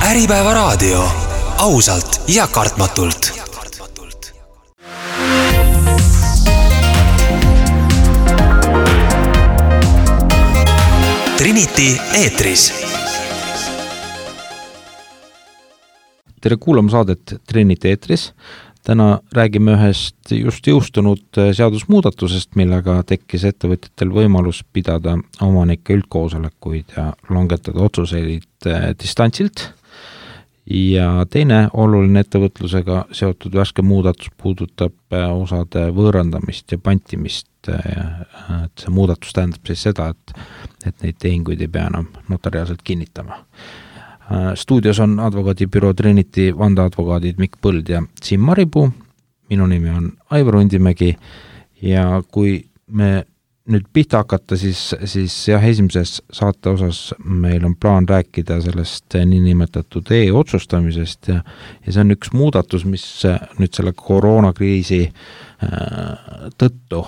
Äripäeva raadio. Ausalt ja kartmatult. Trinity eetris. Tere kuulama saadet Trinity eetris. Täna räägime ühest just jõustunud seadusmuudatusest, millega tekkis ettevõtjatel võimalus pidada omanike üldkoosolekuid ja langetada otsuseid distantsilt. Ja teine oluline ettevõtlusega seotud värske muudatus puudutab osade võõrandamist ja pantimist. See muudatus tähendab siis seda, et neid tehinguid ei pea enam notariaalselt kinnitama. Stuudios on advokaadibüroo Trinity vandeadvokaadid Mikk Põld ja Siim Maripuu. Minu nimi on Aivar Undimägi ja kui me nüüd pihta hakata, siis jah, esimeses saate osas meil on plaan rääkida sellest niinimetatud e-otsustamisest ja see on üks muudatus, mis nüüd selle koroonakriisi tõttu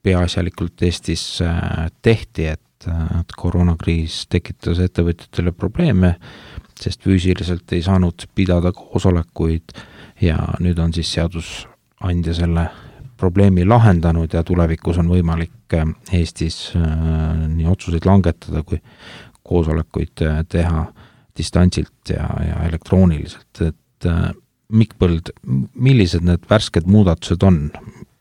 peaasjalikult Eestis tehti, et koroonakriis tekitas ettevõtjatele probleeme, sest füüsiliselt ei saanud pidada koosolekuid ja nüüd on siis seadusandja selle probleemi lahendanud ja tulevikus on võimalik Eestis nii otsuseid langetada kui koosolekuid teha distantsilt ja elektrooniliselt. Et Mikk Põld, millised need värsked muudatused on,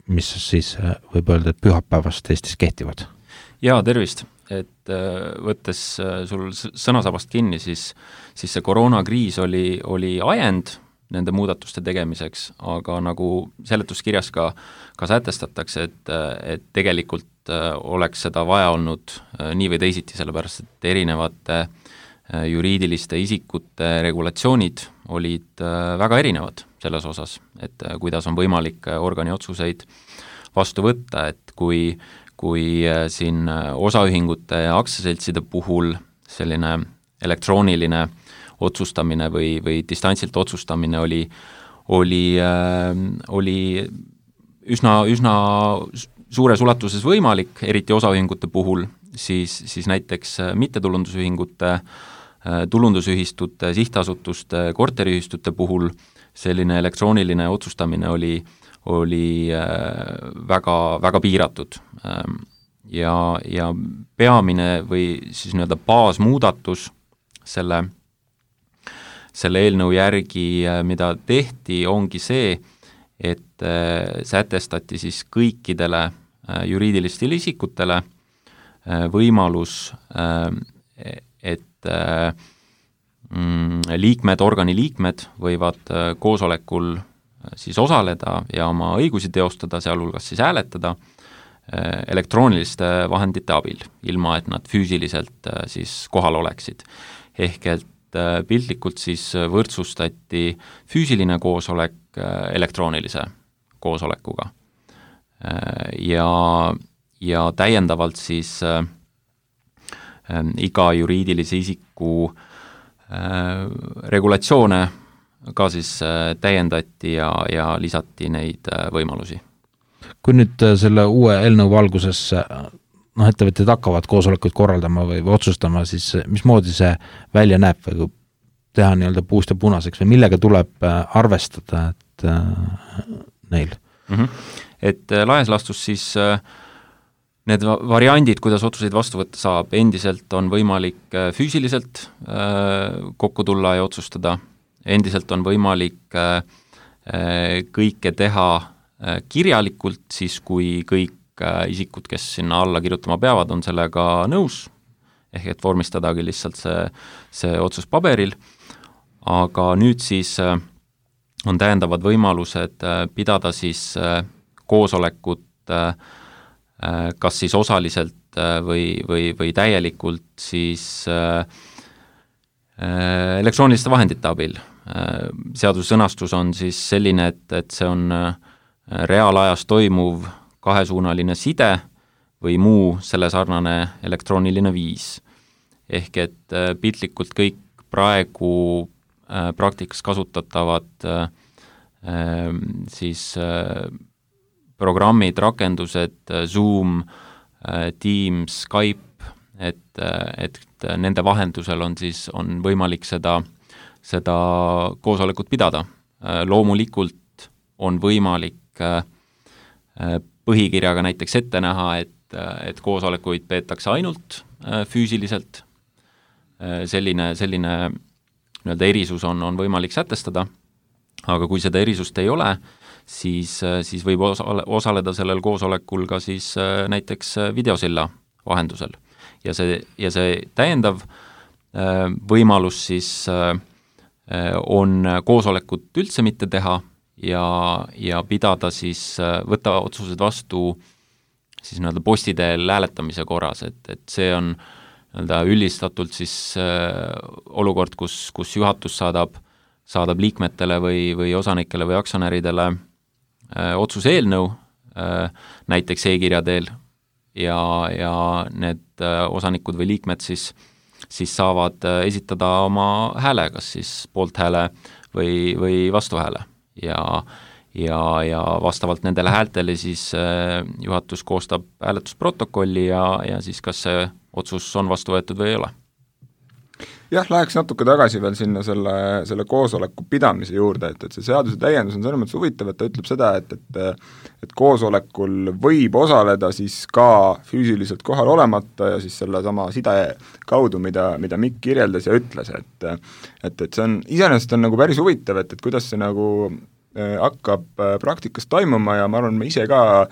mis siis võib öelda, et pühapäevast Eestis kehtivad? Jaa, tervist! Et võttes sul sõnasabast kinni, siis see koroonakriis oli ajend nende muudatuste tegemiseks, aga nagu seletuskirjas ka sätestatakse, et tegelikult oleks seda vaja olnud nii või teisiti, sellepärast et erinevate juriidiliste isikute regulatsioonid olid väga erinevad selles osas, et kuidas on võimalik organi otsuseid vastu võtta, et kui siin osaühingute ja aktsiaseltside puhul selline elektrooniline otsustamine või distantsilt otsustamine oli üsna suures ulatuses võimalik, eriti osaühingute puhul, siis näiteks mittetulundusühingute, tulundusühistute, sihtasutuste, korteriühistute puhul selline elektrooniline otsustamine oli väga, väga piiratud ja peamine või siis nii-öelda baasmuudatus selle eelnõu järgi, mida tehti, ongi see, et sätestati siis kõikidele juriidilistele isikutele võimalus, et organi liikmed võivad koosolekul siis osaleda ja oma õigusi teostada, sealhulgas siis hääletada elektrooniliste vahendite abil, ilma et nad füüsiliselt siis kohal oleksid. Ehk et piltlikult siis võrdsustati füüsiline koosolek elektroonilise koosolekuga. Ja täiendavalt siis iga juriidilise isiku regulatsioone ka siis täiendati ja lisati neid võimalusi. Kui nüüd selle uue eelnõu valguses ettevõtjad hakkavad koosolekuid korraldama või otsustama, siis mismoodi see välja näeb või kui teha nii-öelda puust ja punaseks või millega tuleb arvestada et neil? Et laias laastus siis need variandid, kuidas otsuseid vastu võtta saab, endiselt on võimalik füüsiliselt kokku tulla ja otsustada. Endiselt on võimalik kõike teha kirjalikult, siis kui kõik isikud, kes sinna alla kirjutama peavad, on sellega nõus, ehk et vormistadagi lihtsalt see otsus paberil, aga nüüd siis on täiendavad võimalused pidada siis koosolekut kas siis osaliselt või täielikult siis elektrooniliste vahendite abil. Seaduse sõnastus on siis selline, et see on reaalajas toimuv kahesuunaline side või muu selle sarnane elektrooniline viis. Ehk et piltlikult kõik praegu praktikas kasutatavad siis programmid, rakendused, Zoom, Teams, Skype, et nende vahendusel on võimalik seda koosolekut pidada. Loomulikult on võimalik põhikirjaga näiteks ette näha, et koosolekuid peetakse ainult füüsiliselt. Selline nii-öelda erisus on võimalik sätestada, aga kui seda erisust ei ole, siis võib osaleda sellel koosolekul ka siis näiteks videosilla vahendusel. Ja see täiendav võimalus siis on koosolekut üldse mitte teha ja pidada siis, võtta otsused vastu siis nii-öelda posti teel hääletamise korras, et see on nii-öelda üldistatult siis olukord, kus juhatus saadab liikmetele või osanikele või aktsionäridele otsuse eelnõu, näiteks e-kirja teel ja need osanikud või liikmed siis saavad esitada oma hääle, kas siis poolthääle või vastuhääle ja vastavalt nendele häältele siis juhatus koostab hääletusprotokolli ja siis kas see otsus on vastu võetud või ei ole. Jah, läheks natuke tagasi veel sinna selle koosoleku pidamise juurde, et see seaduse täiendus on selles mõttes huvitav, et ta ütleb seda, et koosolekul võib osaleda siis ka füüsiliselt kohal olemata ja siis selle sama side kaudu, mida Mikk kirjeldas ja ütles, et see on, iseenesest on nagu päris huvitav, et kuidas see nagu hakkab praktikas toimuma ja ma arvan, me ise ka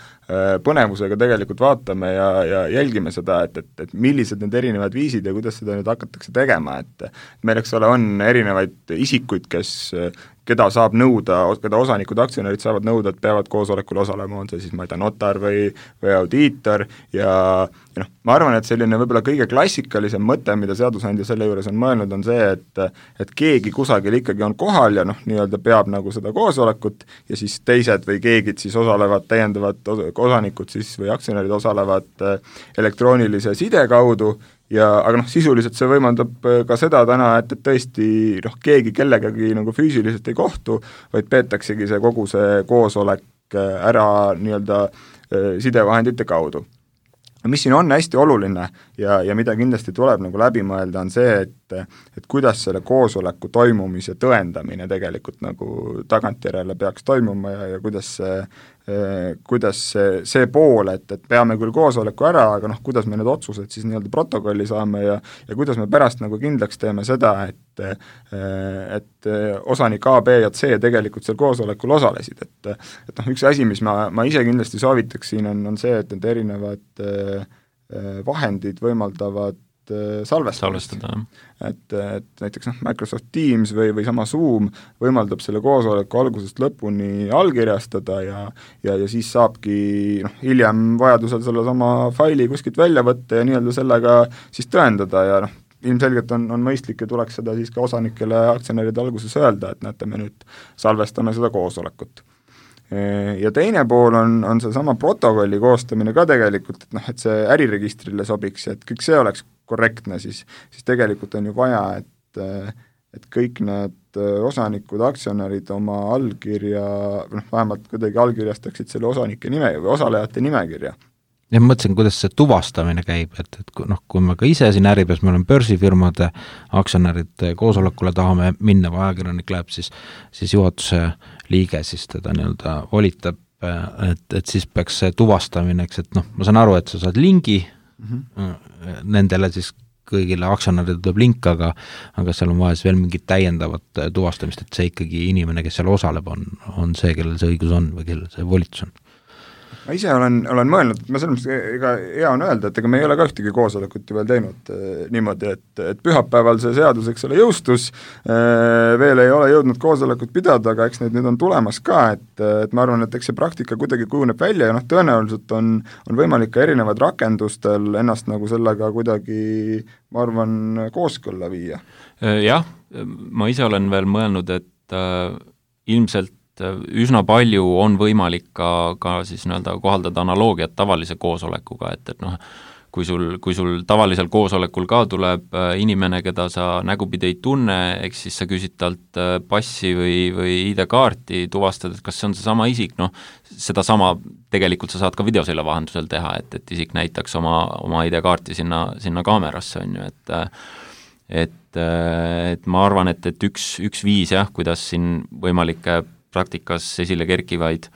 põnevusega tegelikult vaatame ja jälgime seda, et millised need erinevad viisid ja kuidas seda nüüd hakatakse tegema, et meil, eks ole, on erinevaid isikuid, keda saab nõuda, keda osanikud, aktsionärid saavad nõuda, et peavad koosolekul osalema, on see siis, ma ei tea, notar või audiitor ja ma arvan, et selline võib-olla kõige klassikalisem mõte, mida seadusandja selle juures on mõelnud, on see, et keegi kusagil ikkagi on kohal ja nii-öelda peab nagu seda koosolekut ja siis teised või keegid siis osalevad, täiendavad osanikud siis või aktsionärid osalevad elektroonilise side kaudu aga sisuliselt see võimaldab ka seda täna, et tõesti keegi kellegagi nagu füüsiliselt ei kohtu, vaid peetaksegi kogu see koosolek ära nii-öelda sidevahendite kaudu. Mis siin on hästi oluline ja mida kindlasti tuleb nagu läbi mõelda, on see, et kuidas selle koosoleku toimumise tõendamine tegelikult nagu tagantjärele peaks toimuma ja kuidas see pool, et peame küll koosoleku ära, aga kuidas me need otsused siis nii-öelda protokolli saame ja kuidas me pärast nagu kindlaks teeme seda, et osanik A, B ja C tegelikult seal koosolekul osalesid, et üks asi, mis ma ise kindlasti soovitaks siin on see, et need erinevad vahendid võimaldavad salvestada. Et näiteks Microsoft Teams või sama Zoom võimaldab selle koosoleku algusest lõpuni allkirjastada ja siis saabki hiljem vajadusel selle sama faili kuskilt välja võtta ja nii-öelda sellega siis tõendada ja ilmselgelt on mõistlik ja tuleks seda siis ka osanikele aktsionäride alguses öelda, et näete, me nüüd salvestame seda koosolekut. Ja teine pool on see sama protokolli koostamine ka tegelikult, et see äriregistrile sobiks ja et kõik see oleks korrektne, siis tegelikult on ju vaja, et kõik need osanikud, aktsionärid oma allkirja, vähemalt kuidagi allkirjastaksid selle osanike nime või osalejate nimekirja. Ja mõtlesin, kuidas see tuvastamine käib, et kui me ka ise siin Äripäevas, me oleme börsifirmade aktsionärid koosolekule tahame minna või ajakirjanik läheb, siis juhatuse liige siis teda nii-öelda volitab, et siis peaks see tuvastamine, et ma saan aru, et sa saad lingi nendele siis kõigile aktsionäridele tuleb link, aga seal on vaja siis veel mingit täiendavat tuvastamist, et see ikkagi inimene, kes seal osaleb, on see, kellel see õigus on või kellel see volitus on. Ma ise olen mõelnud, et ma selles mõttes ega hea on öelda, et ega me ei ole ka ühtegi koosolekut ju veel teinud niimoodi, et pühapäeval see seadus, eks ole, jõustus, veel ei ole jõudnud koosolekut pidada, aga eks need nüüd on tulemas ka, et ma arvan, et eks see praktika kuidagi kujuneb välja ja tõenäoliselt on võimalik ka erinevad rakendustel ennast nagu sellega kuidagi, ma arvan, kooskõlla viia. Jah, ma ise olen veel mõelnud, et ilmselt üsna palju on võimalik ka siis nii-öelda kohaldada analoogiat tavalise koosolekuga, et kui sul tavalisel koosolekul ka tuleb inimene, keda sa nägupidi ei tunne, eks siis sa küsid talt passi või ID-kaarti, tuvastad, et kas see on seesama isik, noh, sedasama tegelikult sa saad ka videosilla vahendusel teha, et isik näitaks oma ID-kaarti sinna kaamerasse, on ju, et ma arvan, et üks viis jah, kuidas siin võimalike praktikas esile kerkivaid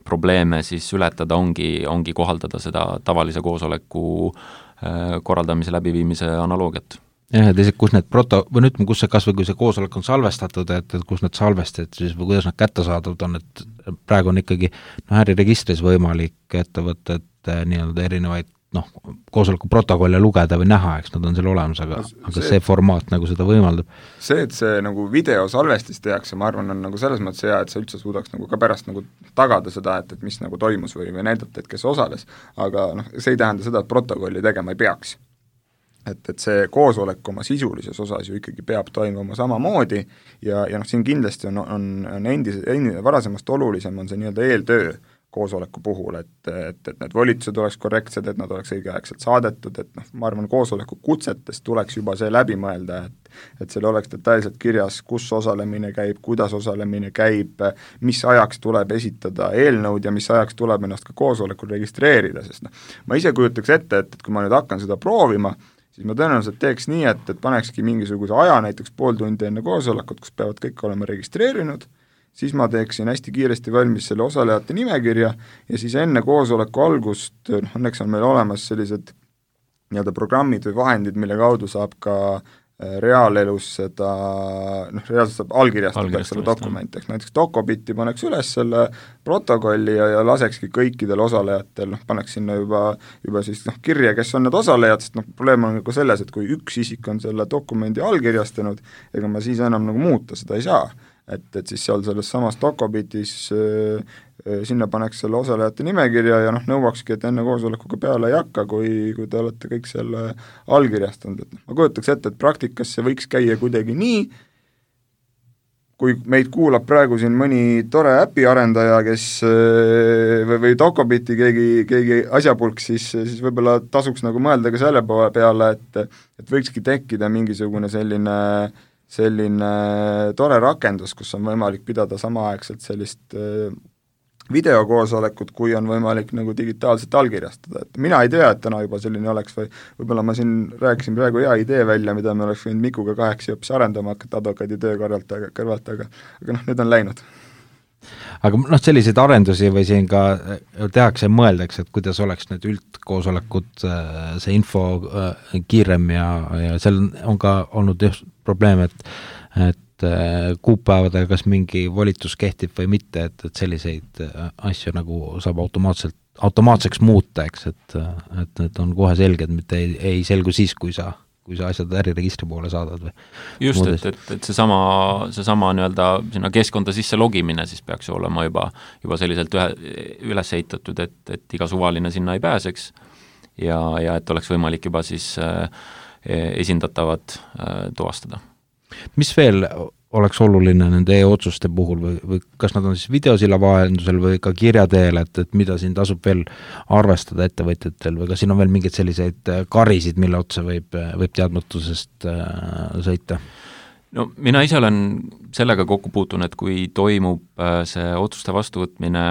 probleeme siis ületada ongi kohaldada seda tavalise koosoleku korraldamise läbiviimise analoogiat. Jah, et kus need või ütleme, kus see kasvõi kui see koosolek on salvestatud, et kus need salvestajad siis või kuidas nad kättesaadavad on, et praegu on ikkagi äriregistris võimalik ettevõtted nii-öelda erinevaid koosoleku protokolle lugeda või näha, eks nad on seal olemas, aga see formaat nagu seda võimaldab. See, et see nagu videosalvestis tehakse, ma arvan, on nagu selles mõttes hea, et sa üldse suudaks nagu ka pärast nagu tagada seda, et mis nagu toimus või näidata, et kes osales, aga see ei tähenda seda, et protokolli tegema ei peaks. Et see koosolek oma sisulises osas ju ikkagi peab toimuma samamoodi ja siin kindlasti on varasemast olulisem on see nii-öelda eeltöö koosoleku puhul, et need volitused oleks korrektsed, et nad oleks õigeaegselt saadetud, et ma arvan, koosoleku kutsetest tuleks juba see läbi mõelda, et seal oleks detailselt kirjas, kus osalemine käib, kuidas osalemine käib, mis ajaks tuleb esitada eelnõud ja mis ajaks tuleb ennast ka koosolekul registreerida, sest ma ise kujutaks ette, et kui ma nüüd hakkan seda proovima, siis ma tõenäoliselt teeks nii, et panekski mingisuguse aja, näiteks pool tundi enne koosolekut, kus peavad kõik olema registreerinud, siis ma teeksin hästi kiiresti valmis selle osalejate nimekirja ja siis enne koosoleku algust, õnneks on meil olemas sellised nii-öelda programmid või vahendid, mille kaudu saab ka reaalelus seda, reaalselt saab allkirjastada selle dokumenti, näiteks Docobiti paneks üles selle protokolli ja lasekski kõikidel osalejatel, paneks sinna juba siis kirja, kes on need osalejad, sest probleem on nagu selles, et kui üks isik on selle dokumendi allkirjastanud, ega ma siis enam nagu muuta seda ei saa. Et siis seal selles samas Docobitis sinna paneks selle osalejate nimekirja ja nõuakski, et enne koosolekuga peale ei hakka, kui te olete kõik selle allkirjastanud. Ma kujutaks ette, et praktikas see võiks käia kuidagi nii, kui meid kuulab praegu siin mõni tore äpiarendaja, kes või Docobiti keegi asjapulk, siis võib-olla tasuks nagu mõelda ka selle peale, et võikski tekkida mingisugune selline tore rakendus, kus on võimalik pidada samaaegselt sellist videokoosolekut, kui on võimalik nagu digitaalselt allkirjastada, et mina ei tea, et täna juba selline oleks või võib-olla ma siin rääkisin praegu hea idee välja, mida me oleks võinud Mikuga 8 hoopis arendama hakata advokaadi töö kõrvalt, aga nüüd on läinud. Aga selliseid arendusi või siin ka tehakse ja mõeldakse, et kuidas oleks need üldkoosolekud, see info kiirem ja seal on ka olnud just probleem, et kuupäevadega kas mingi volitus kehtib või mitte, et selliseid asju nagu saab automaatseks muuta, eks, et need on kohe selged, mitte ei selgu siis, kui sa asjad äriregistri poole saadad või just, et seesama nii-öelda sinna keskkonda sisse logimine siis peaks ju olema juba selliselt üles ehitatud, et iga suvaline sinna ei pääseks ja et oleks võimalik juba siis esindatavad tuvastada. Mis veel oleks oluline nende e-otsuste puhul või kas nad on siis videosilla vahendusel või ka kirja teel, et mida siin tasub veel arvestada ettevõtjatel või kas siin on veel mingeid selliseid karisid, mille otsa võib teadmatusest sõita? No mina ise olen sellega kokku puutunud, et kui toimub see otsuste vastuvõtmine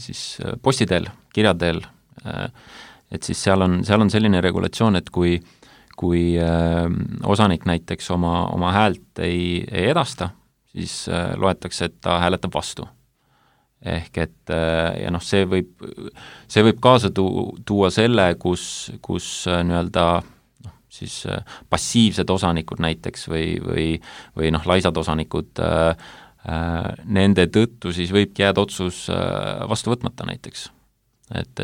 siis posti teel, kirja teel, et siis seal on selline regulatsioon, et kui osanik näiteks oma häält ei edasta, siis loetakse, et ta hääletab vastu. Ehk et ja see võib kaasa tuua selle, kus nii-öelda siis passiivsed osanikud näiteks või laisad osanikud, nende tõttu siis võibki jääda otsus vastu võtmata näiteks. Et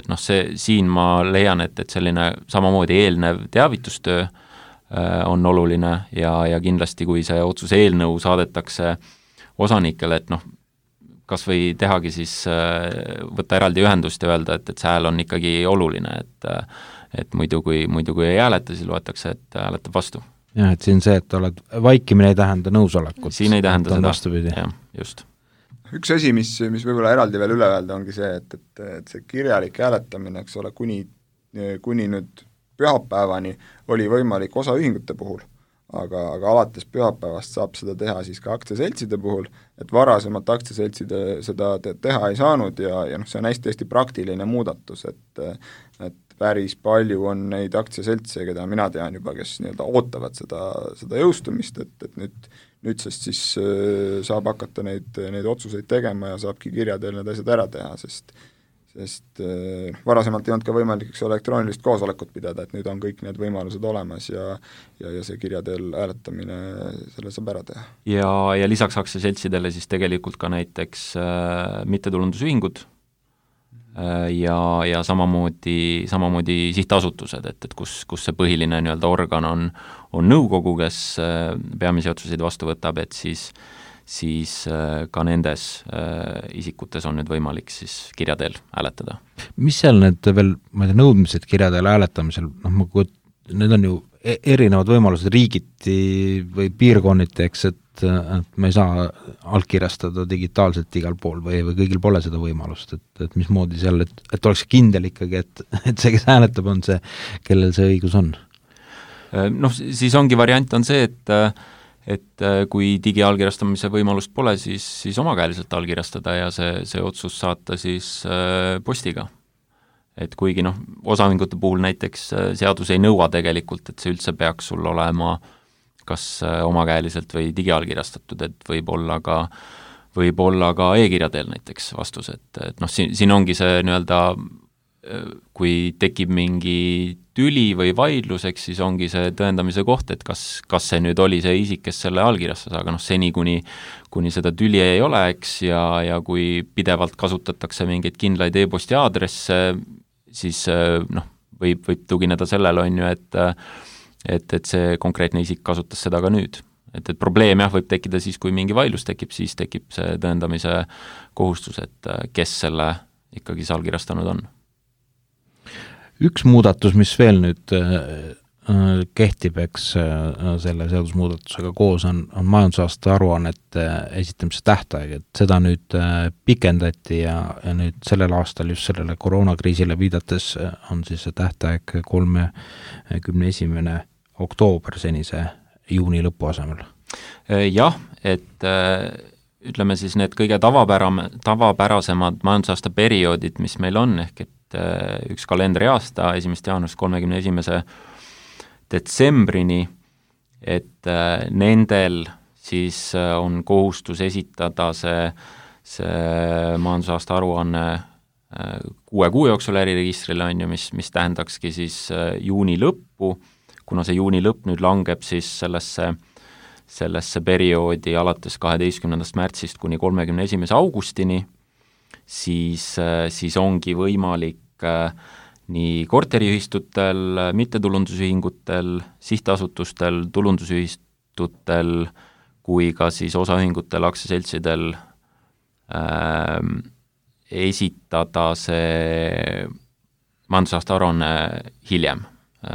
siin ma leian, et selline samamoodi eelnev teavitustöö on oluline ja kindlasti, kui see otsuse eelnõu saadetakse osanikele, et kas või tehagi siis võtta eraldi ühendust ja öelda, et see hääl on ikkagi oluline, et muidu kui ei hääleta, siis loetakse, et hääletab vastu. Jah, et siin see, et oled vaikimine ei tähenda nõusolekut. Siin ei tähenda seda, jah, just. Üks asi, mis võib-olla eraldi veel üle öelda, ongi see, et see kirjalik hääletamine, eks ole, kuni kuni nüüd pühapäevani oli võimalik osaühingute puhul, aga alates pühapäevast saab seda teha siis ka aktsiaseltside puhul, et varasemalt aktsiaseltside seda teha ei saanud ja see on hästi praktiline muudatus, et päris palju on neid aktsiaseltse, keda mina tean juba, kes nii-öelda ootavad seda jõustumist, et nüüdsest siis saab hakata neid otsuseid tegema ja saabki kirja teel need asjad ära teha, sest varasemalt ei olnud ka võimalik elektroonilist koosolekut pidada, et nüüd on kõik need võimalused olemas ja see kirja teel hääletamine selle saab ära teha. Ja lisaks aktsiaseltsidele siis tegelikult ka näiteks mittetulundusühingud ja samamoodi sihtasutused, et kus see põhiline nii-öelda organ on nõukogu, kes peamisi otsuseid vastu võtab, et siis ka nendes isikutes on nüüd võimalik siis kirja teel hääletada. Mis seal need veel, ma ei tea, nõudmised kirja teel hääletamisel, need on ju erinevad võimalused riigiti või piirkonniti, eks, et me ei saa allkirjastada digitaalselt igal pool või kõigil pole seda võimalust, et mismoodi seal, et oleks kindel ikkagi, et see, kes hääletab, on see, kellel see õigus on? Siis ongi variant on see, et kui digiallkirjastamise võimalust pole, siis omakäeliselt allkirjastada ja see otsus saata siis postiga. Et kuigi osaühingute puhul näiteks seadus ei nõua tegelikult, et see üldse peaks sul olema kas omakäeliselt või digiallkirjastatud, et võib olla ka e-kirja teel näiteks vastus, et siin ongi see nii-öelda, kui tekib mingi tüli või vaidlus, eks siis ongi see tõendamise koht, et kas see nüüd oli see isik, kes selle allkirjastas, aga seni, kuni seda tüli ei ole, eks, ja kui pidevalt kasutatakse mingeid kindlaid e-posti aadresse, siis võib tugineda sellele, on ju, et see konkreetne isik kasutas seda ka nüüd. Et probleem võib tekkida siis, kui mingi vaidlus tekib, siis tekib see tõendamise kohustus, et kes selle ikkagi allkirjastanud on. Üks muudatus, mis veel nüüd kehtib, eks selle seadusmuudatusega koos on majandusaasta aruannete esitamise tähtaeg, et seda nüüd pikendati ja nüüd sellel aastal just sellele koroonakriisile viidates on siis see tähtaeg 31. oktoober senise juuni lõpu asemel. Jah, et ütleme siis need kõige tavapärasemad majandusaasta perioodid, mis meil on, ehk et üks kalendriaasta 1. jaanuarist 31. detsembrini, et nendel siis on kohustus esitada see majandusaasta aruanne 6 kuu jooksul äriregistrile, on ju, mis tähendakski siis juuni lõppu, kuna see juuni lõpp nüüd langeb siis sellesse perioodi alates 12. märtsist kuni 31. augustini, siis ongi võimalik nii korteriühistutel, mittetulundusühingutel, sihtasutustel, tulundusühistutel kui ka siis osaühingutel, aktsiaseltsidel esitada see majandusaasta aruanne hiljem,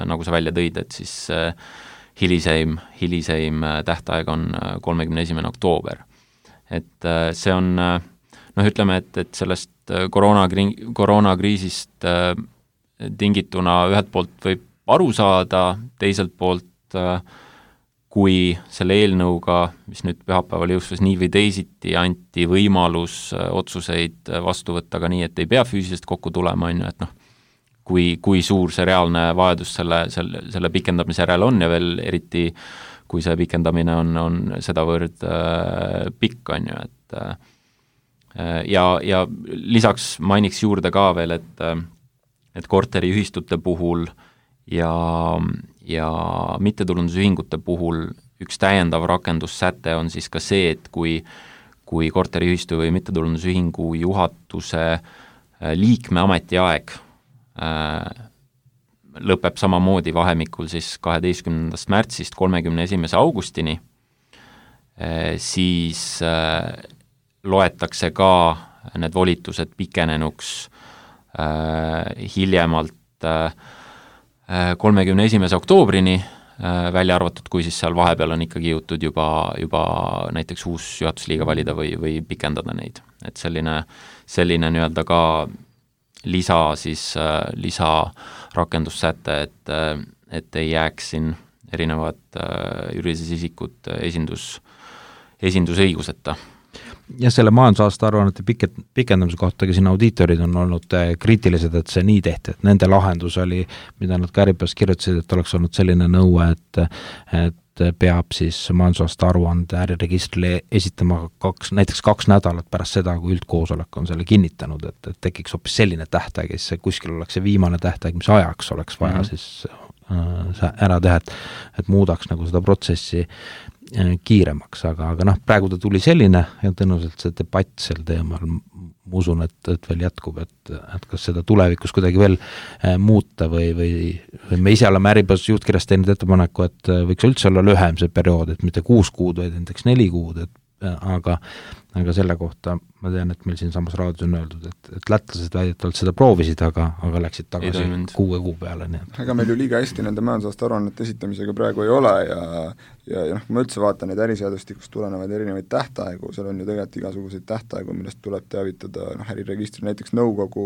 nagu sa välja tõid, et siis hiliseim tähtaeg on 31. oktoober. Et see on ütleme, et sellest koroonakriisist tingituna ühelt poolt võib aru saada, teiselt poolt kui selle eelnõuga, mis nüüd pühapäeval jõustus nii või teisiti, anti võimalus otsuseid vastu võtta ka nii, et ei pea füüsiliselt kokku tulema, on ju, et kui suur see reaalne vajadus selle pikendamise järel on ja veel eriti, kui see pikendamine on sedavõrd pikk, on ju, et ja lisaks mainiks juurde ka veel, et korteriühistute puhul ja mittetulundusühingute puhul üks täiendav rakendussäte on siis ka see, et kui korteriühistu või mittetulundusühingu juhatuse liikme ametiaeg lõpeb samamoodi vahemikul siis 12. märtsist 31. augustini, siis loetakse ka need volitused pikenenuks hiljemalt 31. oktoobrini, välja arvatud, kui siis seal vahepeal on ikkagi jõutud juba näiteks uus juhatusliige valida või pikendada neid. Et selline nii-öelda ka lisarakendussäte, et ei jääks siin erinevad juriidilised isikud esindusõiguseta. Ja selle majandusaasta aruannete pikendamise kohta ka siin audiitorid on olnud kriitilised, et see nii tehti, et nende lahendus oli, mida nad ka Äripäevas kirjutasid, et oleks olnud selline nõue, et peab siis majandusaasta aruande äriregistrile esitama näiteks 2 nädalat pärast seda, kui üldkoosolek on selle kinnitanud, et tekiks hoopis selline tähtaeg, ja siis kuskil oleks see viimane tähtaeg, mis ajaks oleks vaja siis ära teha, et muudaks nagu seda protsessi kiiremaks, aga praegu ta tuli selline ja tõenäoliselt see debatt sel teemal, ma usun, et veel jätkub, et kas seda tulevikus kuidagi veel muuta või me ise oleme Äripäevas juhtkirjas teinud ettepaneku, et võiks üldse olla lühem see periood, et mitte 6 kuud, vaid näiteks 4 kuud, aga selle kohta ma tean, et meil siin samas raadios on öeldud, et lätlased väidetavalt seda proovisid, aga läksid tagasi 6 kuu peale. Nii. Ega meil ju liiga hästi nende majandusaasta aruannete esitamisega praegu ei ole ja kui ma üldse vaatan neid äriseadustikust tulenevaid erinevaid tähtaegu, seal on ju tegelikult igasuguseid tähtaegu, millest tuleb teavitada äriregistri, näiteks nõukogu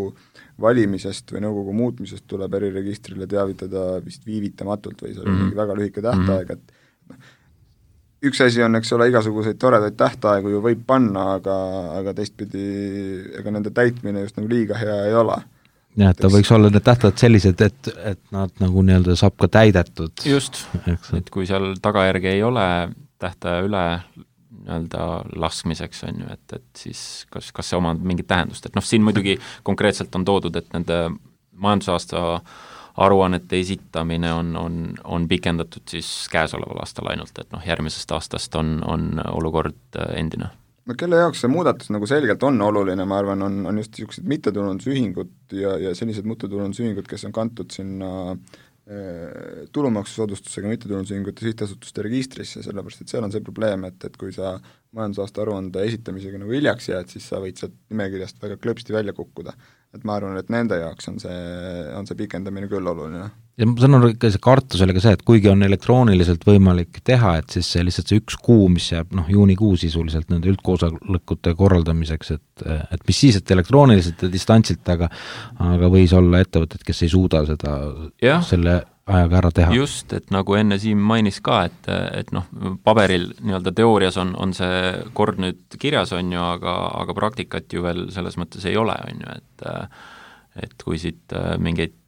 valimisest või nõukogu muutmisest tuleb äriregistrile teavitada vist viivitamatult või seal on mingi väga lühike tähtaeg, et üks asi on, eks ole, igasuguseid toredaid tähtaegu ju võib panna, aga teistpidi ega nende täitmine just nagu liiga hea ei ole. Ja, et ta võiks olla need tähtajad sellised, et nad nagu nii-öelda saab ka täidetud. Just, et kui seal tagajärgi ei ole tähtaja üle nii-öelda laskmiseks, on ju, et siis kas see omab mingit tähendust, et siin muidugi konkreetselt on toodud, et nende majandusaasta aruannete esitamine on pikendatud siis käesoleval aastal ainult, et järgmisest aastast on olukord endine. No kelle jaoks see muudatus nagu selgelt on oluline, ma arvan, on just niisugused mittetulundusühingud ja sellised mittetulundusühingud, kes on kantud sinna tulumaksusoodustusega mittetulundusühingute sihtasutuste registrisse, sellepärast et seal on see probleem, et kui sa majandusaasta aruande esitamisega nagu hiljaks jääd, siis sa võid sealt nimekirjast väga klõpsti välja kukkuda. Et ma arvan, et nende jaoks on see pikendamine küll oluline. Ja ma sanon, see kartus oli ka see, et kuigi on elektrooniliselt võimalik teha, et siis see lihtsalt see 1 kuu, mis jääb juunikuu sisuliselt nende üldkoosolekute korraldamiseks, et mis siis, et elektrooniliselt ja distantsilt, aga võis olla ettevõtted, kes ei suuda seda selle ajaga ära teha. Just, et nagu enne Siim mainis ka, et paberil nii-öelda teoorias on see kord nüüd kirjas, on ju, aga praktikat ju veel selles mõttes ei ole, on ju, et kui siit mingeid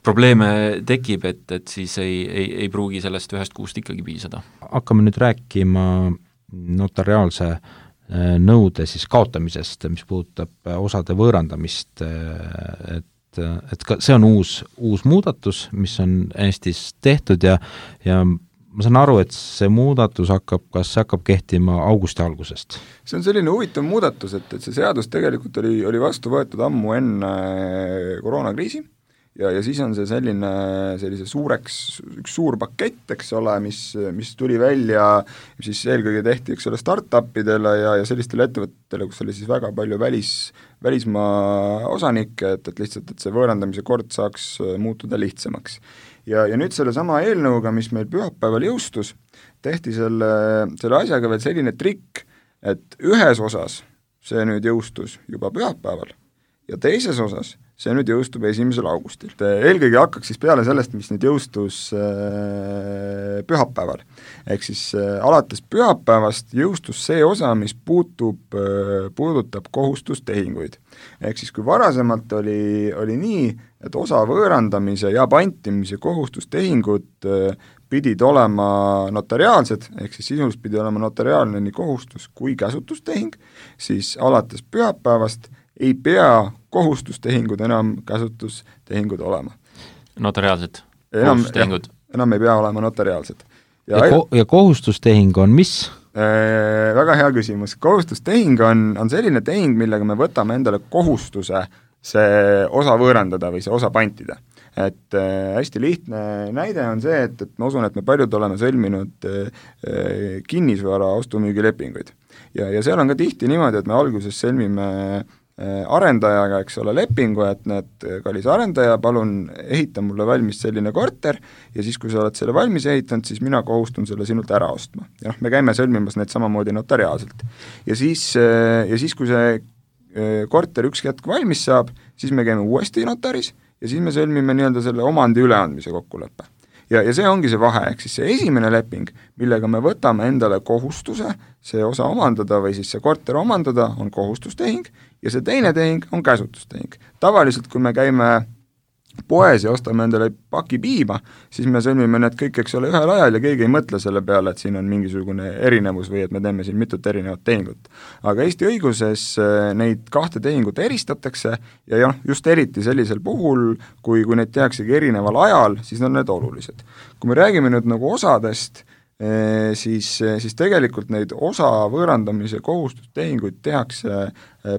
probleeme tekib, et siis ei pruugi sellest 1 kuust ikkagi piisada. Hakkame nüüd rääkima notariaalse nõude siis kaotamisest, mis puudutab osade võõrandamist, et ka see on uus muudatus, mis on Eestis tehtud ja ma saan aru, et see muudatus hakkab kehtima augusti algusest. See on selline huvitav muudatus, et see seadus tegelikult oli vastu võetud ammu enne koroonakriisi ja siis on see sellise üks suur pakett, eks ole, mis tuli välja, siis eelkõige tehti, eks ole, startupidele ja sellistele ettevõtetele, kus oli siis väga palju välismaa osanikke, et lihtsalt, et see võõrandamise kord saaks muutuda lihtsamaks. Ja nüüd selle sama eelnõuga, mis meil pühapäeval jõustus, tehti selle asjaga veel selline trikk, et ühes osas see nüüd jõustus juba pühapäeval ja teises osas see nüüd jõustub 1. augustil. Eelkõige hakkaks siis peale sellest, mis nüüd jõustus pühapäeval. Ehk siis alates pühapäevast jõustus see osa, mis puudutab kohustustehinguid. Ehk siis kui varasemalt oli nii, et osa võõrandamise ja pantimise kohustustehingud pidid olema notariaalsed, ehk siis sisuliselt pidi olema notariaalne nii kohustus kui käsutustehing, siis alates pühapäevast ei pea kohustustehingud enam käsutustehingud olema. Notariaalsed kohustustehingud? Enam ei pea olema notariaalsed. Ja kohustustehing on mis? Väga hea küsimus. Kohustustehing on selline tehing, millega me võtame endale kohustuse see osa võõrandada või see osa pantida. Et hästi lihtne näide on see, et ma usun, et me paljud oleme sõlminud kinnisvara ostu-müügilepinguid. Ja seal on ka tihti niimoodi, et me alguses sõlmime arendajaga, eks ole, lepingu, et kallis arendaja, palun ehita mulle valmis selline korter ja siis, kui sa oled selle valmis ehitanud, siis mina kohustun selle sinult ära ostma. Ja me käime sõlmimas need samamoodi notariaalselt. Ja siis, kui see korter üks hetk valmis saab, siis me käime uuesti notaris ja siis me sõlmime nii-öelda selle omandi üleandmise kokkuleppe. Ja see ongi see vahe, ehk siis see esimene leping, millega me võtame endale kohustuse see osa omandada või siis see korter omandada, on kohustustehing ja see teine tehing on käsutustehing. Tavaliselt, kui me käime poes ja ostame endale paki piima, siis me sõlmime need kõik, eks ole, ühel ajal ja keegi ei mõtle selle peale, et siin on mingisugune erinevus või et me teeme siin mitut erinevat tehingut. Aga Eesti õiguses neid kahte tehingut eristatakse ja jah, just eriti sellisel puhul, kui neid tehaksegi erineval ajal, siis on need olulised. Kui me räägime nüüd nagu osadest, siis tegelikult neid osa võõrandamise kohustustehinguid tehakse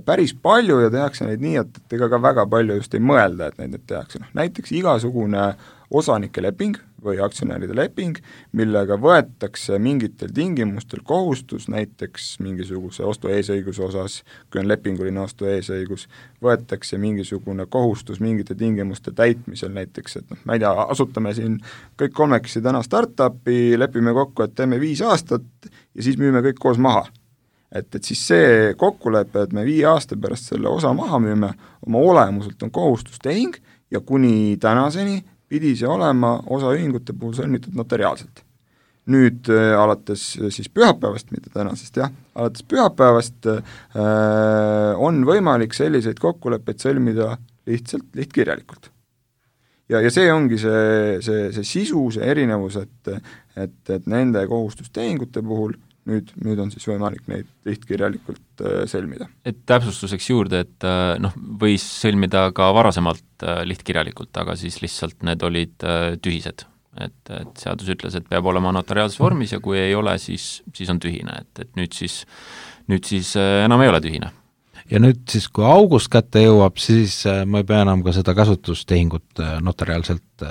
päris palju ja tehakse neid nii, et ega ka väga palju just ei mõelda, et neid tehakse. Näiteks igasugune osanike leping või aktsionäride leping, millega võetakse mingitel tingimustel kohustus, näiteks mingisuguse ostu eesõiguse osas, kui on lepinguline ostu eesõigus, võetakse mingisugune kohustus mingite tingimuste täitmisel näiteks, et ma ei tea, asutame siin kõik kolmekesi täna startupi, lepime kokku, et teeme 5 aastat ja siis müüme kõik koos maha. Et siis see kokkulepe, et me 5 aasta pärast selle osa maha müüme, oma olemuselt on kohustustehing ja kuni tänaseni pidi see olema osaühingute puhul sõlmitud notariaalselt. Nüüd alates siis pühapäevast, mitte tänasest jah, alates pühapäevast on võimalik selliseid kokkuleppeid sõlmida lihtsalt lihtkirjalikult. Ja see ongi see sisu, see erinevus, et nende kohustustehingute puhul nüüd on siis võimalik neid lihtkirjalikult sõlmida. Et täpsustuseks juurde, et võis sõlmida ka varasemalt lihtkirjalikult, aga siis lihtsalt need olid tühised. Et seadus ütles, et peab olema notariaalses vormis ja kui ei ole, siis on tühine. Et nüüd siis enam ei ole tühine. Ja nüüd siis, kui august kätte jõuab, siis ma ei pea enam ka seda kasutustehingut notariaalselt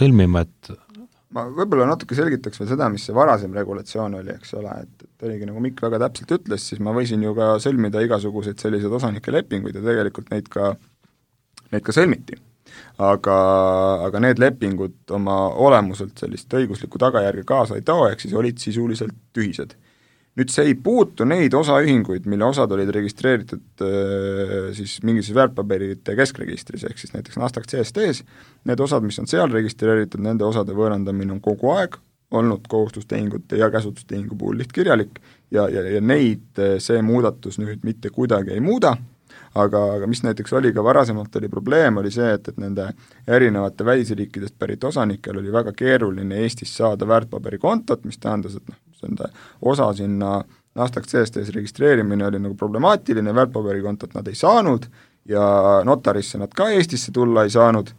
sõlmima, et ma võib-olla natuke selgitaks veel seda, mis see varasem regulatsioon oli, eks ole, et oligi nagu Mikk väga täpselt ütles, siis ma võisin ju ka sõlmida igasuguseid selliseid osanike lepinguid ja tegelikult neid ka sõlmiti. Aga need lepingud oma olemuselt sellist õiguslikku tagajärge kaasa ei too, ehk siis olid sisuliselt tühised. Nüüd see ei puutu neid osaühinguid, mille osad olid registreeritud siis mingis väärtpaberite keskregistris, ehk siis näiteks Nasdaq CSD-s, need osad, mis on seal registreeritud, nende osade võõrandamine on kogu aeg olnud kohustustehingute ja käsutustehingu puhul lihtkirjalik ja neid see muudatus nüüd mitte kuidagi ei muuda, aga mis näiteks oli ka varasemalt oli probleem, oli see, et nende erinevate välisriikidest pärit osanikel oli väga keeruline Eestis saada väärtpaberikontot, mis tähendas, et see osa sinna Nasdaq CSD-s registreerimine oli nagu problemaatiline, väärtpaberikontot nad ei saanud ja notarisse nad ka Eestisse tulla ei saanud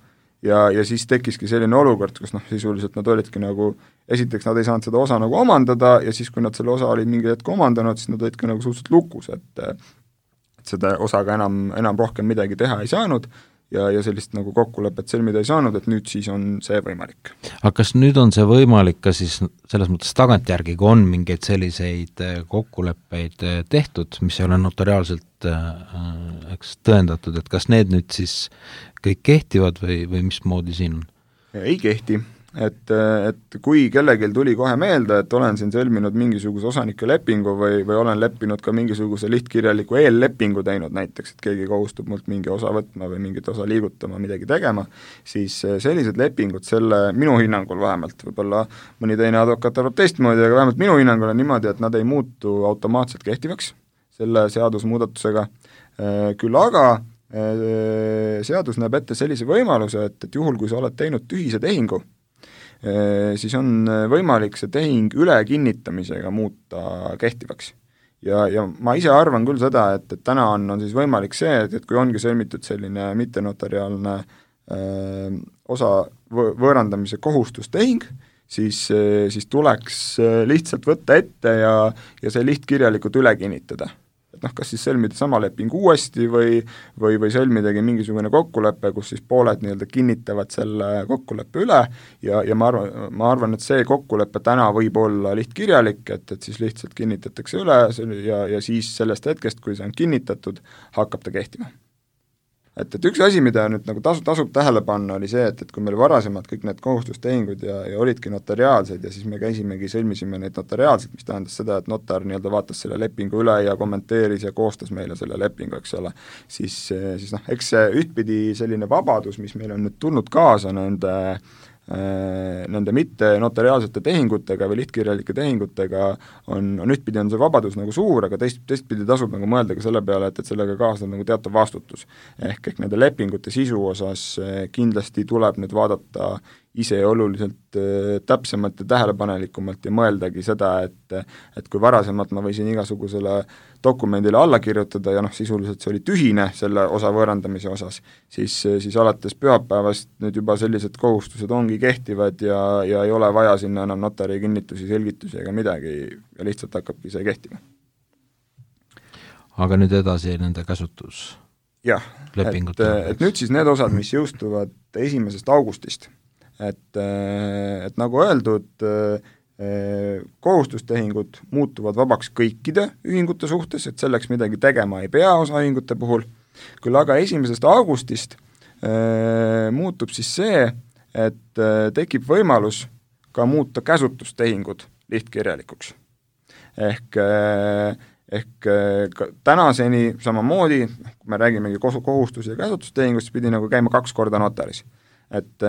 ja siis tekkiski selline olukord, kus sisuliselt nad olidki nagu, esiteks nad ei saanud seda osa nagu omandada ja siis, kui nad selle osa olid mingi hetk omandanud, siis nad olidki nagu suhteliselt lukus, et seda osaga enam rohkem midagi teha ei saanud ja sellist nagu kokkulepet sõlmida ei saanud, et nüüd siis on see võimalik. Aga kas nüüd on see võimalik ka siis selles mõttes tagantjärgi, kui on mingeid selliseid kokkuleppeid tehtud, mis ei ole notariaalselt tõendatud, et kas need nüüd siis kõik kehtivad või mismoodi siin on? Ei kehti. Et kui kellelgi tuli kohe meelde, et olen siin sõlminud mingisuguse osanike lepingu või olen leppinud ka mingisuguse lihtkirjaliku eellepingu teinud näiteks, et keegi kohustub mult mingi osa võtma või mingit osa liigutama, midagi tegema, siis sellised lepingud selle minu hinnangul vähemalt, võib-olla mõni teine advokaat arvab teistmoodi, aga vähemalt minu hinnangul on niimoodi, et nad ei muutu automaatselt kehtivaks selle seadusmuudatusega, küll aga seadus näeb ette sellise võimaluse, et juhul, kui sa oled teinud tühise tehingu, siis on võimalik see tehing ülekinnitamisega muuta kehtivaks. Ja ma ise arvan küll seda, et täna on siis võimalik see, et kui ongi sõlmitud selline mittenotariaalne osa võõrandamise kohustustehing, siis tuleks lihtsalt võtta ette ja see lihtkirjalikult üle kinnitada. Et kas siis sõlmida sama leping uuesti või sõlmidagi mingisugune kokkulepe, kus siis pooled nii-öelda kinnitavad selle kokkuleppe üle ja ma arvan, et see kokkulepe täna võib olla lihtkirjalik, et siis lihtsalt kinnitatakse üle ja siis sellest hetkest, kui see on kinnitatud, hakkab ta kehtima. et üks asi, mida nüüd nagu tasub tähele panna, oli see, et kui meil varasemad kõik need kohustustehingud ja olidki notariaalsed ja siis me sõlmisime neid notariaalselt, mis tähendas seda, et notar nii-öelda vaatas selle lepingu üle ja kommenteeris ja koostas meile selle lepingu, eks ole, siis eks see ühtpidi selline vabadus, mis meil on nüüd tulnud kaasa nende mitte notariaalsete tehingutega või lihtkirjalike tehingutega on ühtpidi on see vabadus nagu suur, aga teistpidi tasub nagu mõelda ka selle peale, et sellega kaasneb nagu teatav vastutus. Ehk nende lepingute sisu osas kindlasti tuleb nüüd vaadata ise oluliselt täpsemalt ja tähelepanelikumalt ja mõeldagi seda, et kui varasemalt ma võisin igasugusele dokumendile alla kirjutada ja sisuliselt see oli tühine selle osa võõrandamise osas, siis alates pühapäevast nüüd juba sellised kohustused ongi kehtivad ja ei ole vaja sinna enam notari kinnitusi, selgitusi ega midagi ja lihtsalt hakkabki see kehtima. Aga nüüd edasi nende käsutus? Jah, et nüüd siis need osad, mis jõustuvad 1. augustist, et nagu öeldud, kohustustehingud muutuvad vabaks kõikide ühingute suhtes, et selleks midagi tegema ei pea osaühingute puhul, küll aga 1. augustist muutub siis see, et tekib võimalus ka muuta käsutustehingud lihtkirjalikuks. Ehk tänaseni samamoodi, kui me räägimegi kohustus- ja käsutustehingust, pidi nagu käima 2 korda notaris. Et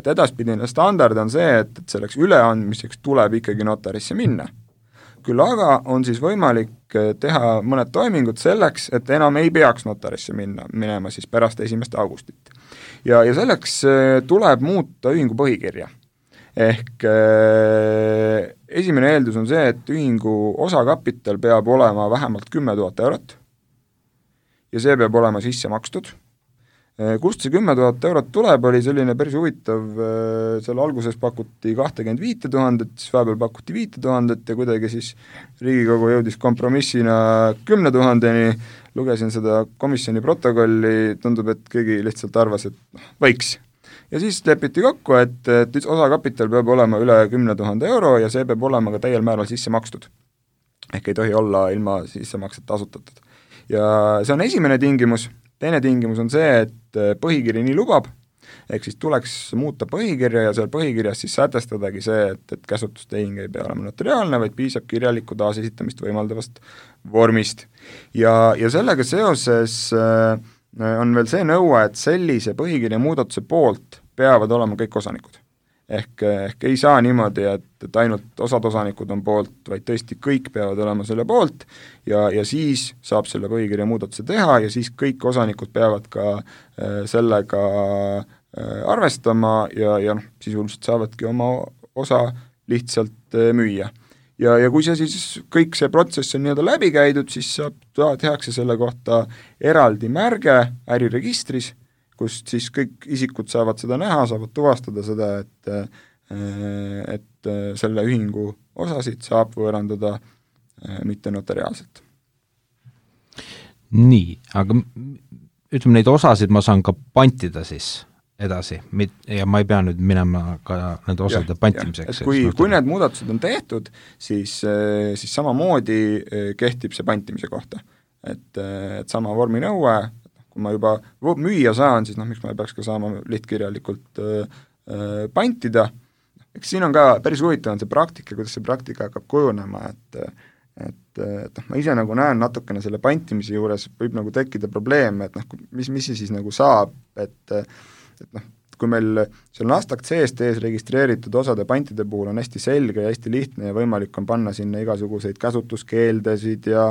edaspidine standard on see, et selleks üleandmiseks tuleb ikkagi notarisse minna. Küll aga on siis võimalik teha mõned toimingud selleks, et enam ei peaks notarisse minema siis pärast 1. augustit. Ja selleks tuleb muuta ühingu põhikirja. Ehk esimene eeldus on see, et ühingu osakapital peab olema vähemalt 10 000 eurot ja see peab olema sisse makstud. Kust see 10 000 eurot tuleb, oli selline päris huvitav, seal alguses pakuti 25 000, siis vahepeal pakuti 5 000 ja kuidagi siis Riigikogu jõudis kompromissina 10 000-ni, lugesin seda komisjoni protokolli, tundub, et keegi lihtsalt arvas, et võiks. Ja siis lepiti kokku, et osakapital peab olema üle 10 000 euro ja see peab olema ka täiel määral sisse makstud. Ehk ei tohi olla ilma sissemakset asutatud. Ja see on esimene tingimus. Teine tingimus on see, et põhikiri nii lubab, ehk siis tuleks muuta põhikirja ja seal põhikirjas siis sätestadagi see, et käsutustehing ei pea olema notariaalne, vaid piisab kirjaliku taasesitamist võimaldavast vormist. Ja sellega seoses on veel see nõue, et sellise põhikirja muudatuse poolt peavad olema kõik osanikud. Ehk ei saa niimoodi, et ainult osad osanikud on poolt, vaid tõesti kõik peavad olema selle poolt ja siis saab selle põhikirja muudatuse teha ja siis kõik osanikud peavad ka sellega arvestama ja sisuliselt saavadki oma osa lihtsalt müüa. Ja kui see siis kõik see protsess on nii-öelda läbi käidud, siis tehakse selle kohta eraldi märge äriregistris, kust siis kõik isikud saavad seda näha, saavad tuvastada seda, et selle ühingu osasid saab võõrandada mitte notariaalselt. Nii, aga ütleme, neid osasid ma saan ka pantida siis edasi ja ma ei pea nüüd minema ka nende osade pantimiseks. Kui need muudatused on tehtud, siis samamoodi kehtib see pantimise kohta. Et sama vorminõue, kui ma juba müüa saan, siis miks ma ei peaks ka saama lihtkirjalikult pantida. Eks siin on ka päris huvitav on see praktika, kuidas see praktika hakkab kujunema, et ma ise nagu näen natukene selle pantimise juures võib nagu tekkida probleem, et mis see siis nagu saab, et kui meil seal Nasdaq CSD-s registreeritud osade pantide puhul on hästi selge ja hästi lihtne ja võimalik on panna sinna igasuguseid käsutuskeeldesid ja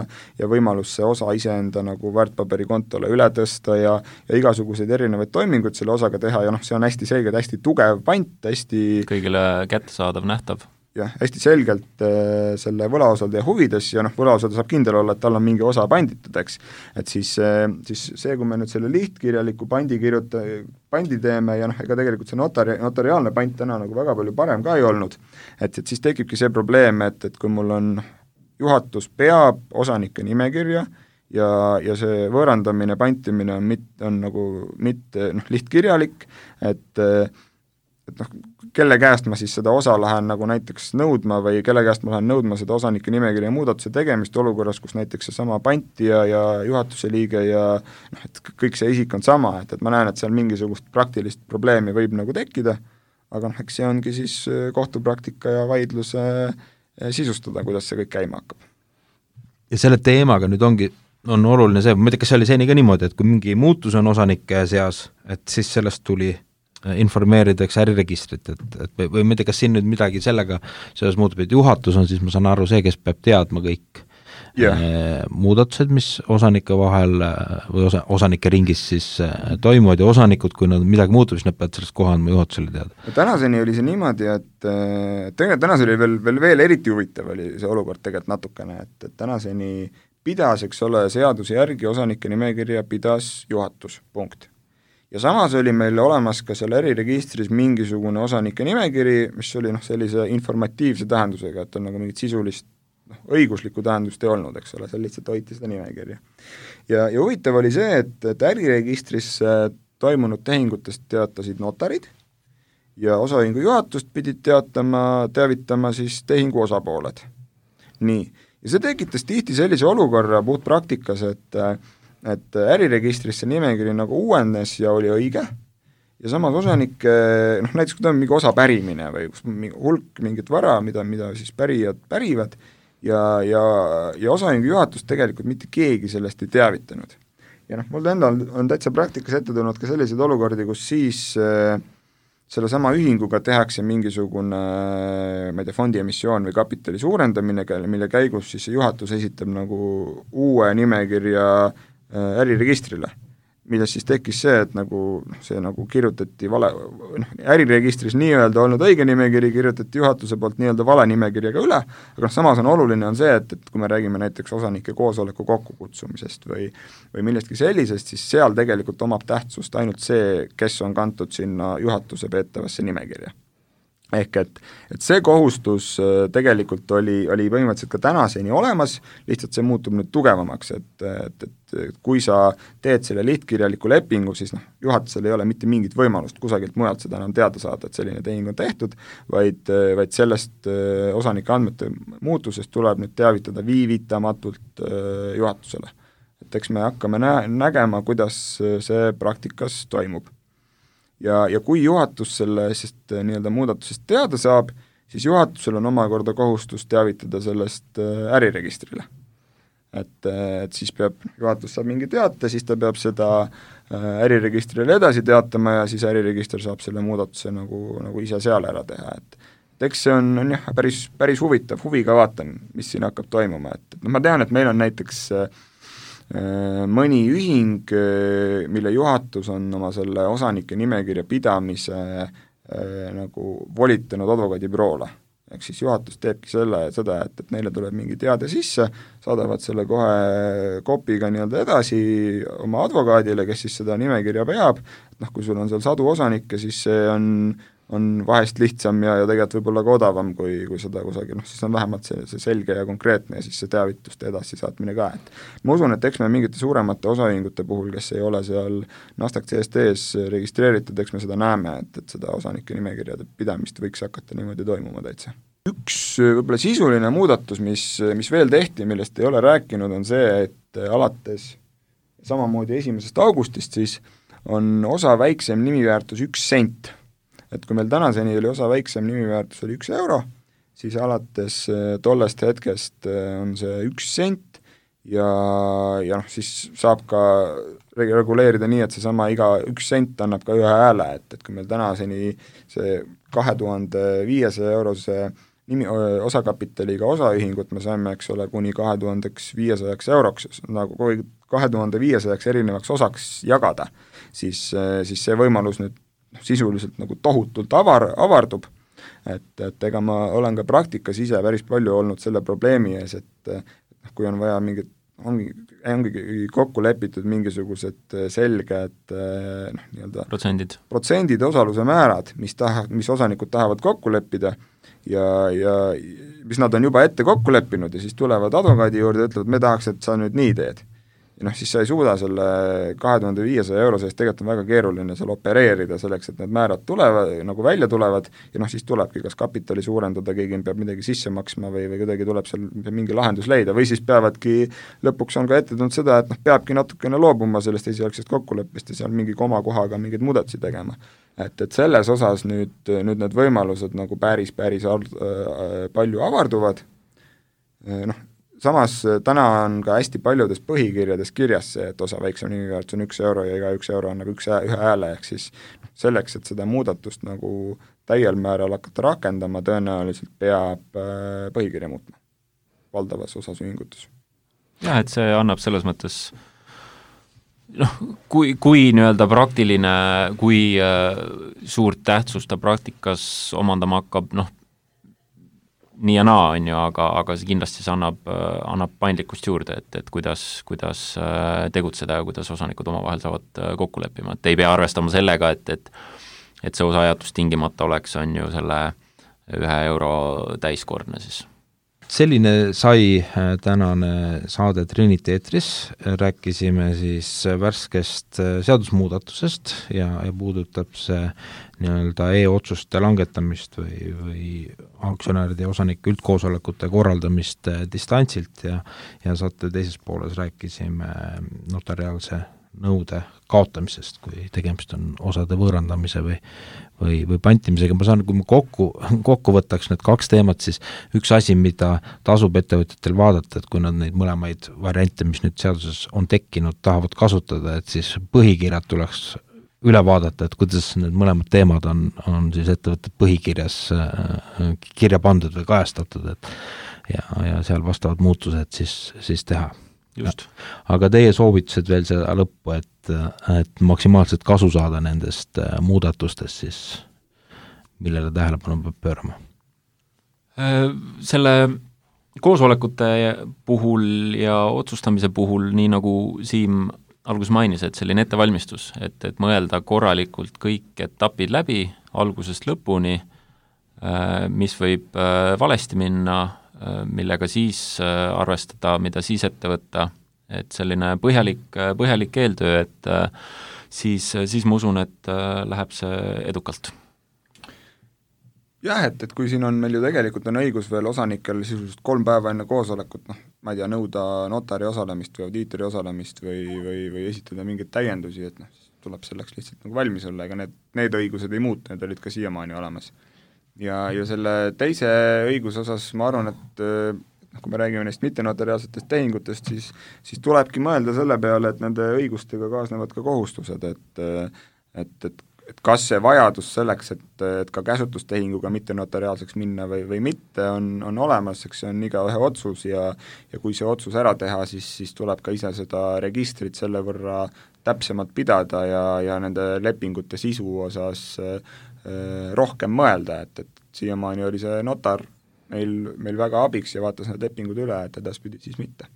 võimalus see osa iseenda nagu väärtpaberikontole üle tõsta ja igasuguseid erinevaid toiminguid selle osaga teha ja see on hästi selge, hästi tugev pant, hästi kõigile kättesaadav, nähtav. Jah, hästi selgelt selle võlaosaldaja huvides ja võlaosaldaja saab kindel olla, et tal on mingi osa panditud, eks. Et siis see, kui me nüüd selle lihtkirjaliku pandi teeme ja ega tegelikult see notariaalne pant täna nagu väga palju parem ka ei olnud, et siis tekibki see probleem, et kui mul on juhatus peab osanike nimekirja ja see võõrandamine, pantimine on nagu mitte lihtkirjalik, et et noh, kelle käest ma siis seda osa lähen nagu näiteks nõudma või kelle käest ma lähen nõudma seda osanike nimekirja muudatuse tegemist olukorras, kus näiteks seesama pantija ja juhatuse liige ja noh, et kõik see isik on sama, et ma näen, et seal mingisugust praktilist probleemi võib nagu tekkida, aga noh, eks see ongi siis kohtupraktika ja vaidluse sisustada, kuidas see kõik käima hakkab. Ja selle teemaga nüüd on oluline see, ma ei tea, kas see oli seni ka niimoodi, et kui mingi muutus on osanike seas, et siis sellest tuli informeeritakse äriregistrit, või ma ei tea, kas siin nüüd midagi sellega selles muutub, et juhatus on siis, ma saan aru, see, kes peab teadma kõik muudatused, mis osanike vahel või osanike ringis siis toimuvad ja osanikud, kui nad midagi muutub, siis nad peavad sellest kohe andma juhatusele teada. Tänaseni oli see niimoodi, et tegelikult tänaseni oli veel eriti huvitav oli see olukord tegelikult natukene, et tänaseni pidas, eks ole, seaduse järgi osanike nimekirja pidas juhatus, punkt. Ja samas oli meil olemas ka seal äriregistris mingisugune osanike nimekiri, mis oli sellise informatiivse tähendusega, et on nagu mingit sisulist õiguslikku tähendust ei olnud, eks ole, seal lihtsalt hoiti seda nimekirja. Ja huvitav oli see, et äriregistris toimunud tehingutest teatasid notarid ja osaühingu juhatust pidid teavitama siis tehingu osapooled. Nii, ja see tekitas tihti sellise olukorra puhtpraktikas, et äriregistris see nimekiri nagu uuenes ja oli õige ja samas osanike, näiteks kui ta on mingi osa pärimine või kus hulk mingit vara, mida siis pärijad pärivad ja osaühingu juhatus tegelikult mitte keegi sellest ei teavitanud. Ja mul endal on täitsa praktikas ette tulnud ka selliseid olukordi, kus siis selle sama ühinguga tehakse mingisugune, ma ei tea, fondiemissioon või kapitali suurendamine, mille käigus siis juhatus esitab nagu uue nimekirja äriregistrile, milles siis tekkis see, et see kirjutati vale, äriregistris nii-öelda olnud õige nimekiri kirjutati juhatuse poolt nii-öelda vale nimekirjaga üle, aga samas on oluline on see, et kui me räägime näiteks osanike koosoleku kokkukutsumisest või millestki sellisest, siis seal tegelikult omab tähtsust ainult see, kes on kantud sinna juhatuse peetavasse nimekirja. Ehk et see kohustus tegelikult oli põhimõtteliselt ka tänaseni olemas, lihtsalt see muutub nüüd tugevamaks, et kui sa teed selle lihtkirjaliku lepingu, siis juhatusel ei ole mitte mingit võimalust kusagilt mujalt seda enam teada saada, et selline tehing on tehtud, vaid sellest osanike andmete muutusest tuleb nüüd teavitada viivitamatult juhatusele. Et eks me hakkame nägema, kuidas see praktikas toimub. Ja kui juhatus sellest nii-öelda muudatusest teada saab, siis juhatusel on omakorda kohustus teavitada sellest äriregistrile. Et siis juhatus saab mingi teate, siis ta peab seda äriregistrile edasi teatama ja siis äriregister saab selle muudatuse nagu ise seal ära teha, et eks see on jah, päris huvitav, huviga vaatan, mis siin hakkab toimuma, et ma tean, et meil on näiteks mõni ühing, mille juhatus on oma selle osanike nimekirja pidamise nagu volitanud advokaadibüroole. Ehk siis juhatus teebki seda, et neile tuleb mingi teade sisse, saadavad selle kohe kopiga nii-öelda edasi oma advokaadile, kes siis seda nimekirja peab, et kui sul on seal sadu osanikke, siis see on vahest lihtsam ja tegelikult võib-olla ka odavam, kui seda kusagil, siis on vähemalt see selge ja konkreetne ja siis see teavituste edasi saatmine ka, et ma usun, et eks me mingite suuremate osaühingute puhul, kes ei ole seal Nasdaq CST-s registreeritud, eks me seda näeme, et seda osanike nimekirjade pidamist võiks hakata niimoodi toimuma täitsa. Üks võib-olla sisuline muudatus, mis veel tehti, millest ei ole rääkinud, on see, et alates samamoodi 1. augustist siis on osa väiksem nimiväärtus 1 sent. Et kui meil tänaseni oli osa väiksem nimiväärtus oli 1 euro, siis alates tollest hetkest on see 1 sent ja siis saab ka reguleerida nii, et seesama iga 1 sent annab ka ühe hääle, et kui meil tänaseni see 2500 eurose osakapitaliga osaühingut me saime, eks ole, kuni 2500 euroks, nagu 2500 erinevaks osaks jagada, siis see võimalus nüüd sisuliselt nagu tohutult avardub, et ega ma olen ka praktikas ise päris palju olnud selle probleemi ees, et kui on vaja mingit, ongi kokku lepitud mingisugused selged nii-öelda protsendid osaluse määrad, mis osanikud tahavad kokku leppida ja mis nad on juba ette kokku leppinud ja siis tulevad advokaadi juurde ja ütlevad, me tahaks, et sa nüüd nii teed. siis sa ei suuda selle 2500 euro sees, tegelikult on väga keeruline seal opereerida selleks, et need määrad tulevad, nagu välja tulevad ja siis tulebki kas kapitali suurendada, keegi peab midagi sisse maksma või kuidagi tuleb seal mingi lahendus leida või siis peavadki, lõpuks on ka ette tulnud seda, et peabki natukene loobuma sellest esialgsest kokkuleppest ja seal mingi komakohaga mingeid muudatusi tegema. Et selles osas nüüd need võimalused nagu päris palju avarduvad, samas täna on ka hästi paljudes põhikirjades kirjas see, et osa väiksem nimiväärtus on 1 euro ja iga 1 euro annab ühe hääle, ehk siis selleks, et seda muudatust nagu täiel määral hakata rakendama, tõenäoliselt peab põhikirja muutma valdavas osas ühingutes. Jah, et see annab selles mõttes kui nii-öelda praktiline, kui suurt tähtsust ta praktikas omandama hakkab, nii ja naa on ju, aga see kindlasti see annab paindlikkust juurde, et kuidas tegutseda ja kuidas osanikud omavahel saavad kokku leppima, et ei pea arvestama sellega, et see osaajatus tingimata oleks, on ju selle 1 euro täiskordne siis. Selline sai tänane saade Trinity eetris, rääkisime siis värskest seadusmuudatusest ja puudutab see nii-öelda e-otsuste langetamist või aktsionäride ja osanike üldkoosolekute korraldamist distantsilt ja saate teises pooles rääkisime notariaalse nõude kaotamisest, kui tegemist on osade võõrandamise või pantimisega. Ma saan, kui ma kokku võtaks need 2 teemat, siis üks asi, mida tasub ettevõtjatel vaadata, et kui nad neid mõlemaid variante, mis nüüd seaduses on tekkinud, tahavad kasutada, et siis põhikirjad tuleks üle vaadata, et kuidas need mõlemad teemad on siis ettevõtted põhikirjas kirja pandud või kajastatud, ja seal vastavad muutused siis teha. Just. Aga teie soovitused veel seda lõppu, et maksimaalselt kasu saada nendest muudatustest, siis millele tähelepanu peab pöörama? Selle koosolekute puhul ja otsustamise puhul, nii nagu Siim alguses mainis, et selline ettevalmistus, et mõelda korralikult kõik etapid läbi algusest lõpuni, mis võib valesti minna, millega siis arvestada, mida siis ette võtta, et selline põhjalik eeltöö, et siis ma usun, et läheb see edukalt. Jah, et kui siin on meil ju tegelikult on õigus veel osanikel sisuliselt 3 päeva enne koosolekut, ma ei tea, nõuda notari osalemist või audiitori osalemist või esitada mingeid täiendusi, et tuleb selleks lihtsalt nagu valmis olla, ega need õigused ei muutu, need olid ka siiamaani olemas. Ja selle teise õiguse osas ma arvan, et kui me räägime neist mittenotariaalsetest tehingutest, siis tulebki mõelda selle peale, et nende õigustega kaasnevad ka kohustused, et kas see vajadus selleks, et ka käsutustehinguga mittenotariaalseks minna või mitte, on olemas, eks see on igaühe otsus ja kui see otsus ära teha, siis tuleb ka ise seda registrit selle võrra täpsemalt pidada ja nende lepingute sisu osas rohkem mõelda, et siiamaani oli see notar meil väga abiks ja vaatas need lepingud üle, et edaspidi siis mitte.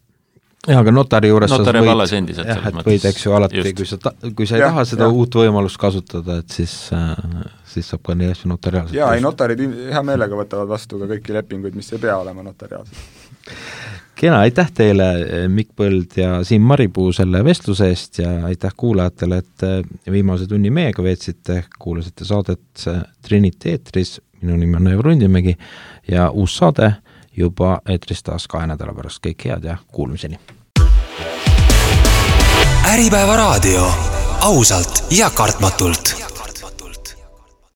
Jah, aga notari juures võid, eks ju alati, kui sa ei taha seda uut võimalust kasutada, et siis saab ka nii asju notariaalselt. Jaa, notarid hea meelega võtavad vastu ka kõiki lepinguid, mis ei pea olema notariaalselt. Kena, aitäh teile, Mikk Põld ja Siim Maripuu selle vestluse eest ja aitäh kuulajatele, et viimase tunni meiega veetsite, kuulasite saadet Trinity eetris, minu nimi on Aivar Rundimägi ja uus saade juba eetris taas 2 nädala pärast. Kõik head ja kuulmiseni. Äripäeva raadio. Ausalt ja kartmatult.